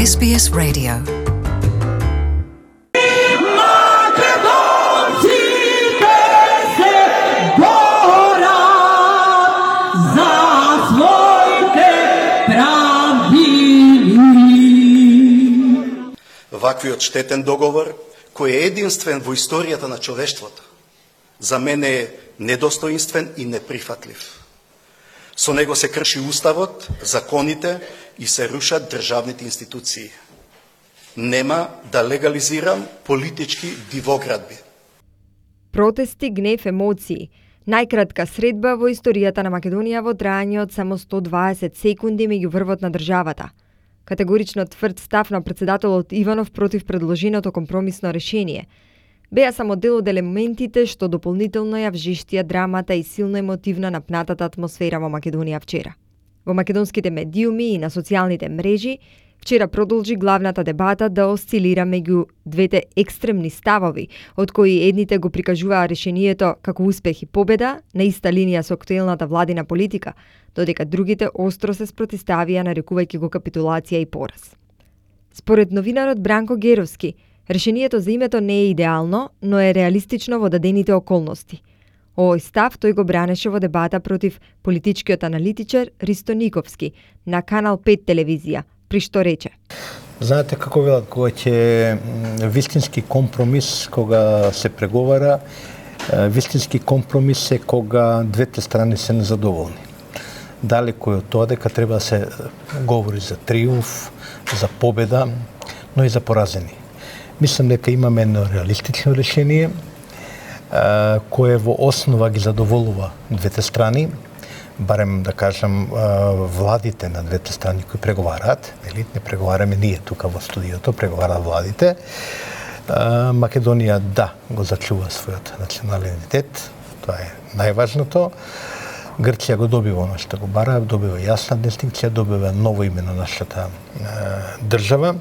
SBS Radio. Ваквиот штетен договор, кој е единствен во историјата на човештвото, за мене е недостоинствен и неприфатлив. Со него се крши уставот, законите и се рушат државните институции. Нема да легализирам политички дивоградби. Протести, гнев, емоции. Најкратка средба во историјата на Македонија во трајање од само 120 секунди меѓу врвот на државата. Категорично тврд став на председателот Иванов против предложеното компромисно решение. Беа само дел од елементите што дополнително ја вжештија драмата и силно емотивна напнатата атмосфера во Македонија вчера. Во македонските медиуми и на социјалните мрежи вчера продолжи главната дебата да осцилира меѓу двете екстремни ставови, од кои едните го прикажуваа решението како успех и победа на иста линија со актуелната владина политика, додека другите остро се спротивставија нарекувајќи го капитулација и пораз. Според новинарот Бранко Геровски, решението за името не е идеално, но е реалистично во дадените околности. Овој став тој го бранеше во дебата против политичкиот аналитичар Ристо Никовски на Канал 5 телевизија, при што рече: Знаете како велат, кога ќе вистински компромис, кога се преговара, вистински компромис е кога двете страни се незадоволни. Далеко е од тоа дека треба да се говори за триумф, за победа, но и за поразени. Мислам дека имаме едно реалистично решение, кое во основа ги задоволува двете страни, барем да кажам владите на двете страни кои преговараат, не преговараме ние тука во студиото, преговараат владите. Македонија го зачува својот национален идентитет, тоа е најважното. Грција го добива оно што го бара, добива јасна дистинкција, добива ново име на нашата држава,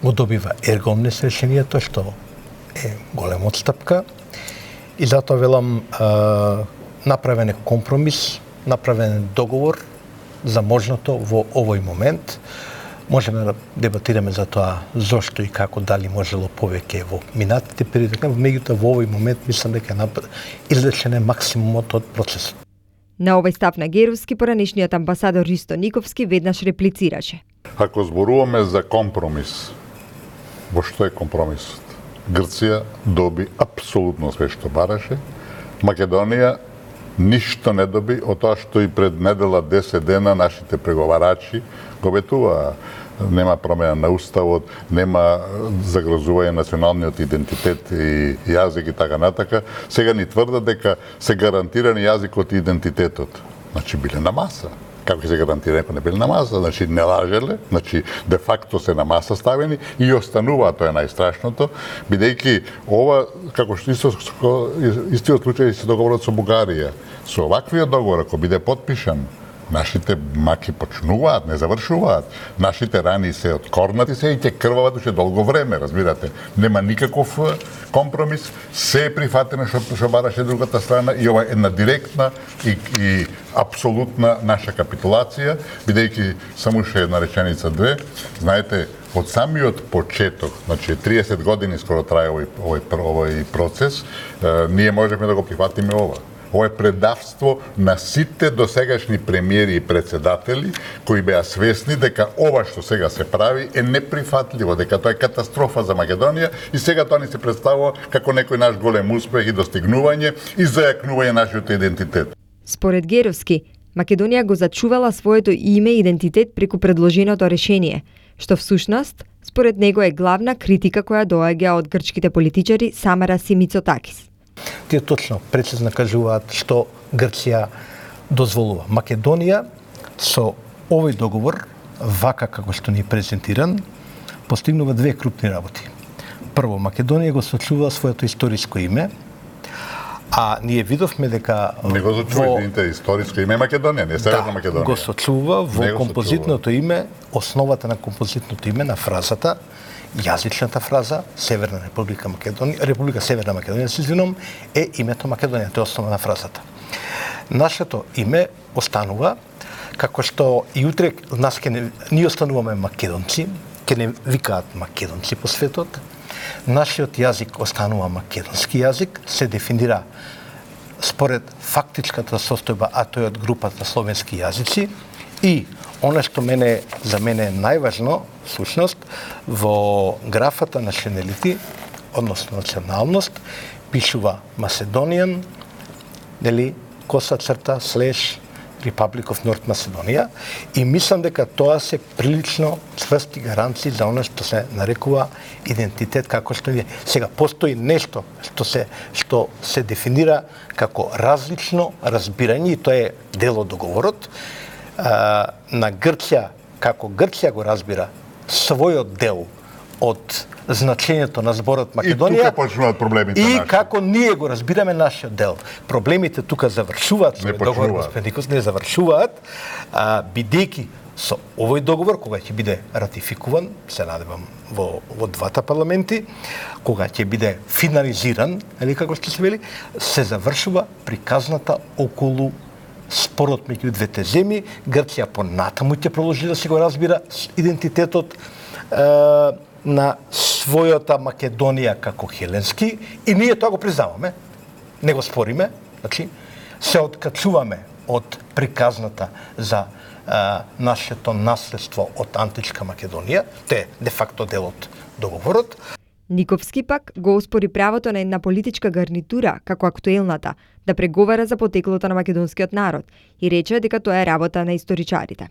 го добива ергомнес решението, што е голема отстапка, и затоа велам направен е компромис, направен е договор за можното во овој момент. Можеме да дебатираме за тоа зошто и како, дали можело повеќе во минатите периоди, меѓутоа во овој момент мислам дека извлечен е максимумот од процесот. На овој став на Геровски поранешниот амбасадор Ристо Никовски веднаш реплицираше: Ако зборуваме за компромис, во што е компромисот? Грција доби апсолутно све што бараше, Македонија ништо не доби од тоа што и пред недела 10 дена нашите преговарачи го ветуваа. Нема промена на уставот, нема загрозување националниот идентитет и јазик и така натака. Сега ни тврдат дека се гарантирани јазикот и идентитетот. Значи биле на маса. Како се гарантира ако не биле на маса? Значи не лажеле, значи де факто се на маса ставени и останува, тоа е најстрашното, бидејќи ова, како што истиот случај се договорот со Бугарија. Со оваквиот договор, ако биде подпишан, нашите маки почнуваат, не завршуваат. Нашите рани се откорнати се и ќе крвават уште долго време, разбирате. Нема никаков компромис, се е прифатено што бараше другата страна и ова е една директна и апсолутна наша капитулација, бидејќи само уште една реченица две. Знаете, од самиот почеток, значи 30 години скоро трае овој процес, ние можеме да го прифатиме ова. Ова е предавство на сите досегашни премиери и председатели кои беа свесни дека ова што сега се прави е неприфатливо, дека тоа е катастрофа за Македонија и сега тоа ни се представува како некој наш голем успех и достигнување и зајакнување нашиот идентитет. Според Геровски, Македонија го зачувала своето име и идентитет преку предложеното решение, што всушност, според него е главна критика која доаѓа од грчките политичари Самарас и Мицотакис. Тие точно, прецизно кажуваат што Грција дозволува. Македонија со овој договор, вака како што ни е презентиран, постигнува две крупни работи. Прво, Македонија го сочува своето историско име, а ние видовме дека не го сочува историско име Македонија, не Северна Македонија. Го сочува во композитното име, основата на композитното име на фразата, јазичната фраза Северна Република Македонија, Република Северна Македонија, се извинувам, е името Македонија, тоа е основа на фразата. Нашето име останува Како што и утре нас ние остануваме македонци, ќе не викаат македонци по светот, нашиот јазик останува македонски јазик, се дефинира според фактичката состојба, а тој од групата словенски јазици, и она што за мене е најважно, всушност, во графата nationality, односно националност, пишува Macedonian, нели, коса црта, / Republic of North Macedonia, и мислам дека тоа се прилично цврсти гаранции за она што се нарекува идентитет, како што е. Сега постои нешто што се дефинира како различно разбирање, и тоа е дел од договорот на Грција, како Грција го разбира својот дел од значењето на зборот Македонија. И тука почнуваат проблемите и наши. како ние го разбираме нашиот дел. Проблемите тука завршуваат, не договор господин Никос, не завршуваат, бидејќи со овој договор, кога ќе биде ратификуван, се надевам во двата парламенти, кога ќе биде финализиран, или како што се вели, се завршува приказната околу спорот меѓу двете земји. Грција понатаму ќе продолжи да се го разбира идентитетот на својата Македонија како хеленски, и ние тоа го признаваме, не го спориме, значи се откачуваме од приказната за нашето наследство од античка Македонија, те де факто дел од договорот. Никовски пак го оспори правото на една политичка гарнитура, како актуелната, да преговара за потеклото на македонскиот народ и рече дека тоа е работа на историчарите.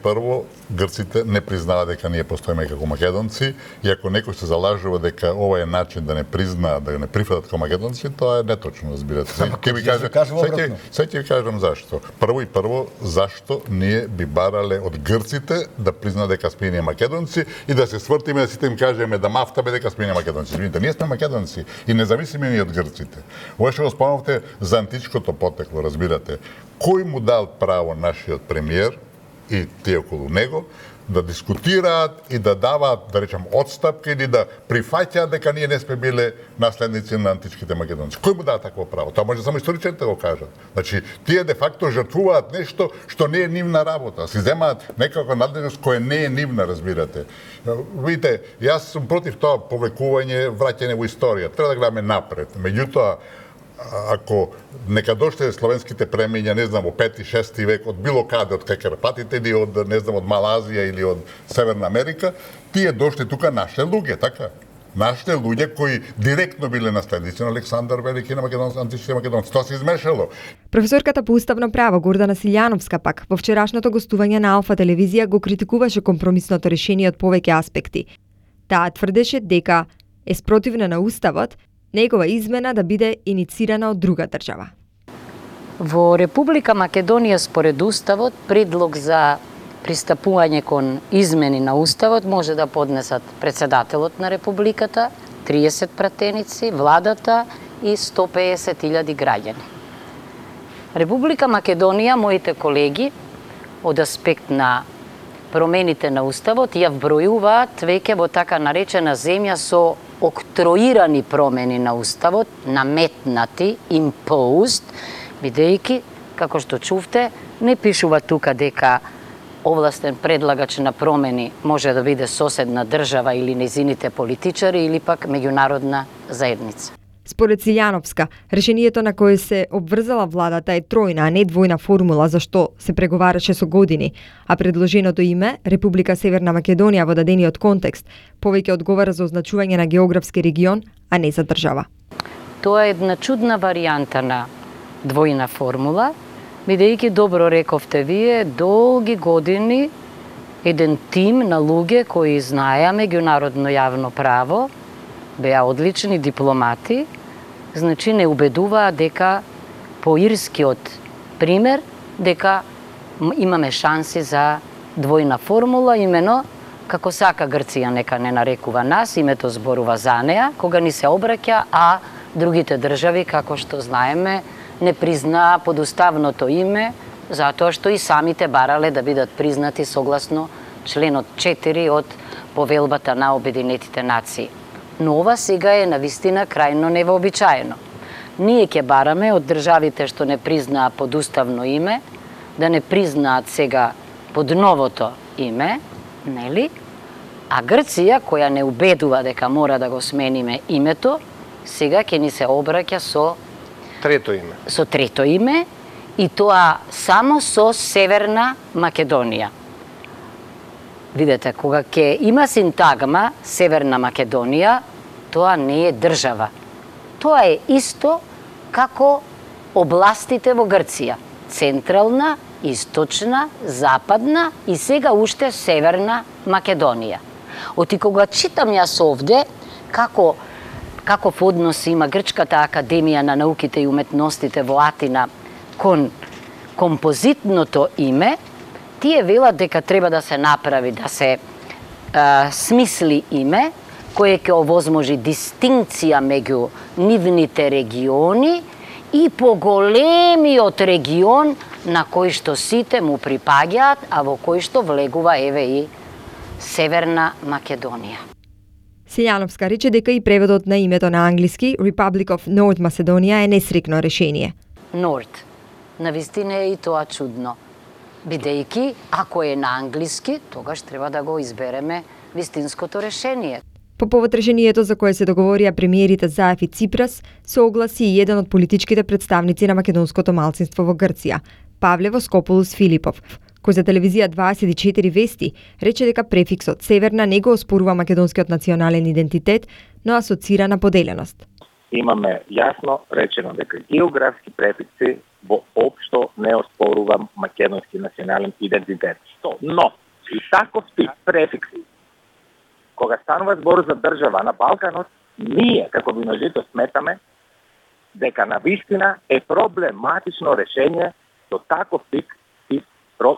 Прво, грците не признаваат дека ние постоиме како македонци, и ако некој се залажува дека ова е начин да не признаат, да не прифатат како македонци, тоа е неточно, разбирате. Ќе ви кажам зашто. Прво, зашто ние би барале од грците да признаат дека сме ние македонци и да се свртиме да сите им кажеме да мафтаме дека сме ние македонци. Видите, ние сме македонци и независими ние од грците. Ова што го спомнавте за античкото потекло, разбирате. Кој му дал право нашиот премиер и тие околу него да дискутираат и да даваат, да речам, отстапки или да прифаќаат дека ние не сме биле наследници на античките македонци. Кој му дава такво право? Тоа може само историчарите да го кажат. Значи, тие де факто жртвуваат нешто што не е нивна работа. Си земаат некаква надлежност која не е нивна, разбирате. Видите, јас сум против тоа повлекување, враќање во историја. Треба да гледаме напред. Меѓутоа, ако нека дошле словенските премиња, не знам, во 5-6 век од било каде, од Карпатите или од, не знам, од Малазија или од Северна Америка, тие дошли тука нашите луѓе, така? Нашите луѓе кои директно биле наследници на Александар Велики на античките македонци. Тоа се измешало. Професорката по уставно право Гордана Силјановска пак во вчерашното гостување на Алфа телевизија го критикуваше компромисното решение од повеќе аспекти. Таа тврдеше дека е спротивна на уставот негова измена да биде иницирана од друга држава. Во Република Македонија според уставот предлог за пристапување кон измени на уставот може да поднесат председателот на републиката, 30 пратеници, владата и 150.000 граѓани. Република Македонија, моите колеги, од аспект на промените на уставот, ја вбројуваат веќе во така наречена земја со октроирани промени на уставот, наметнати, imposed, бидејќи, како што чувте, не пишува тука дека овластен предлагач на промени може да биде соседна држава или незините политичари или пак меѓународна заедница. Според Силјановска, решението на кое се обврзала владата е тројна, а не двојна формула за што се преговараше со години, а предложеното име, Република Северна Македонија во дадениот контекст, повеќе одговара за означување на географски регион, а не за држава. Тоа е една чудна варијанта на двојна формула, бидејќи добро рековте вие, долги години еден тим на луѓе кои знаеа меѓународно јавно право, беа одлични дипломати, значи не убедуваа дека по ирскиот пример дека имаме шанси за двојна формула, имено како сака Грција нека не нарекува нас, името зборува за неа, кога ни се обраќа, а другите држави, како што знаеме, не признаа подуставното име, затоа што и самите барале да бидат признати согласно членот 4 од Повелбата на Обединетите нации. Но ова сега е навистина крајно невообичаено. Ние ќе бараме од државите што не признаа подуставно име да не признаат сега под новото име, нели? А Грција, која не убедува дека мора да го смениме името, сега ќе ни се обраќа со трето име и тоа само со Северна Македонија. Видете, кога ќе има синтагма Северна Македонија, тоа не е држава. Тоа е исто како областите во Грција. Централна, источна, западна и сега уште Северна Македонија. Оти кога читам јас овде каков однос има Грчката академија на науките и уметностите во Атина кон композитното име, тие велат дека треба да се направи, да се смисли име кое ќе овозможи дистинкција меѓу нивните региони и поголемиот регион на кој што сите му припаѓаат, а во кој што влегува еве и Северна Македонија. Силјановска рече дека и преводот на името на англиски Republic of North Macedonia е несрекно решение. North. Навистина е и тоа чудно. Бидејќи, ако е на англиски, тогаш треба да го избереме вистинското решение. По повод решението за кое се договорија премиерите Заев и Ципрас, се огласи и еден од политичките представници на македонското малцинство во Грција, Павле Воскополус Филипов, кој за телевизија 24 вести рече дека префиксот Северна не го оспорува македонскиот национален идентитет, но асоцира на поделеност. Имаме јасно речено дека географски префикси воопшто не оспорува македонски национален идентитет. Но, и таков тип префикси, кога станува збор за држава на Балканот, ние, како виновито, сметаме дека навистина е проблематично решение до таков тип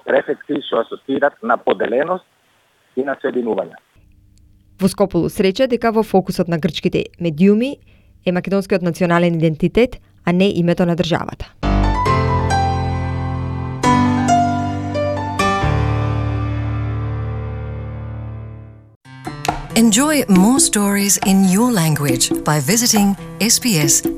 префикси што асоцират на поделеност и на соединување. Воскополус рече дека во фокусот на грчките медиуми е македонскиот национален идентитет, а не името на државата. Enjoy more stories in your language by visiting sbs.com.au.